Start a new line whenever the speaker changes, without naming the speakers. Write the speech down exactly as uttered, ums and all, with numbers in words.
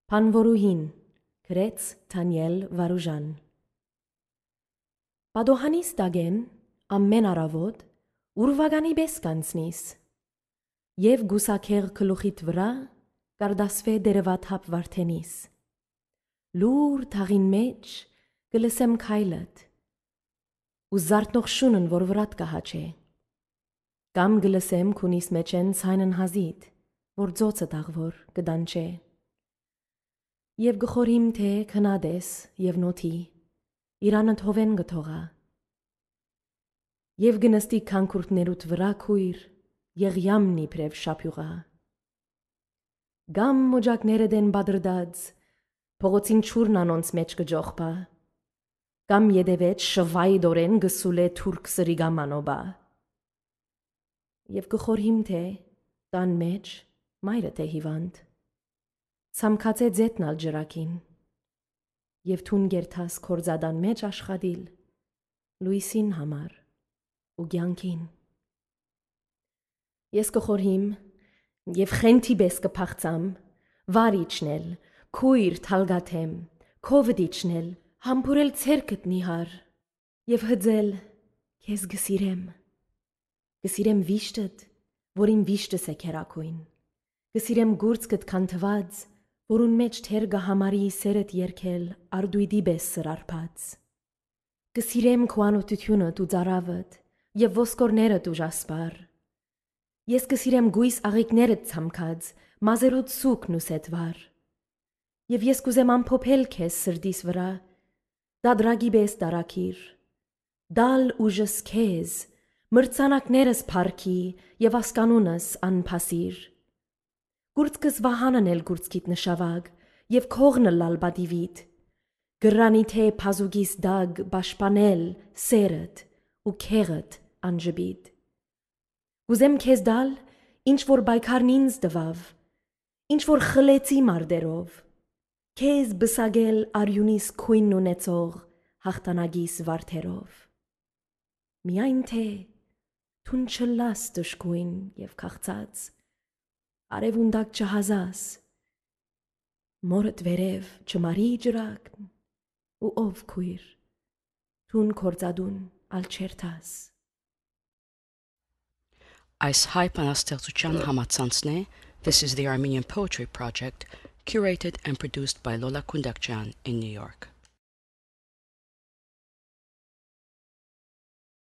Փանվորուհին գրեց Դանիել Վարուժան Պատոհանիս դագեն ամեն առավոտ ուրվագանի պես կանցնիս եւ գուսակեր գլուխիդ վրա կարդասվե դերևաթափ վարդենիս լուր թաղին մեջ գլսեմ քայլդ ու զարթնող շունն որ վրատ կահաչե կամ գլսեմ քունիս մեջեն ցայնն հազիդ որ ծոցը դաղվոր կդանչե Եվ գխորիմ թե քնադես եւ նոթի իրանդ հովեն գթողա Եվ գնստի քանքուրտներուտ վրա քույր եղյամնի պրև շապյուղա Գամ մոջակները դեն բադրդած փողոցին ճուրն անոնց մեջ կջողբա Կամ յետևեջ շվայ դորեն գսուլե թուրք սրիգամանոբա Եվ գխորիմ թե տան մեջ մայրը թե հիվանդ Ցամքացե ձետնալ ջրակին Եվ թուն գերթաս կորձադան մեջ աշխատիլ լույսին համար ու գյանքին Ես կխորհիմ եւ խենթի պես կփախծամ վարիչնել քույր թալգաթեմ քովդիչնել համբուրել ցերկդ նիհար եւ հձել քեզ գսիրեմ գսիրեմ վիշտդ որին վիշտս է քերակույն գսիրեմ գուրցկդ քանթված որուն մեջ թեր գահամարի սերդ երկել արդույդի պես սրարփած Գսիրեմ քո անօթությունդ ու ծարավդ եւ ոսկորներդ ու ժասպար Ես գսիրեմ գույս աղիքներդ ցամքած մազերոտ սուկն ու սետվար Եվ ես կուզեմ ամփոփել քեզ սրդիս վրա դադրագի պես դարակիր Դալ ուժս քեզ մրցանակներս փարքի եւ ասկանունս անփասիր Գուրցկս վահանն էլ գուրցքիտ նշավագ եւ քողն լալ բադիվիտ Գրանի թե փազուգիս դագ պաշտպանել սերդ ու քեղդ անջբիտ Ուզեմ քեզ դալ ինչ որ բայկարն ինձ դվավ ինչ որ խլեցի մարդերով Քեզ բսագել արյունիս քույնն ունեցող հաղթանագիս վարդերով Միայն թե թուն չլաս դժգույն եւ քաղցած Արևունդակ չհազաս, մորդ վերև չմարի ջրակն, ու ով քույր, թուն կործադուն ալ չերթաս։
Այս հայ բանաստեղծության համացանցն է, This is the Armenian Poetry Project, curated and produced by Lola Kundakjian in New York.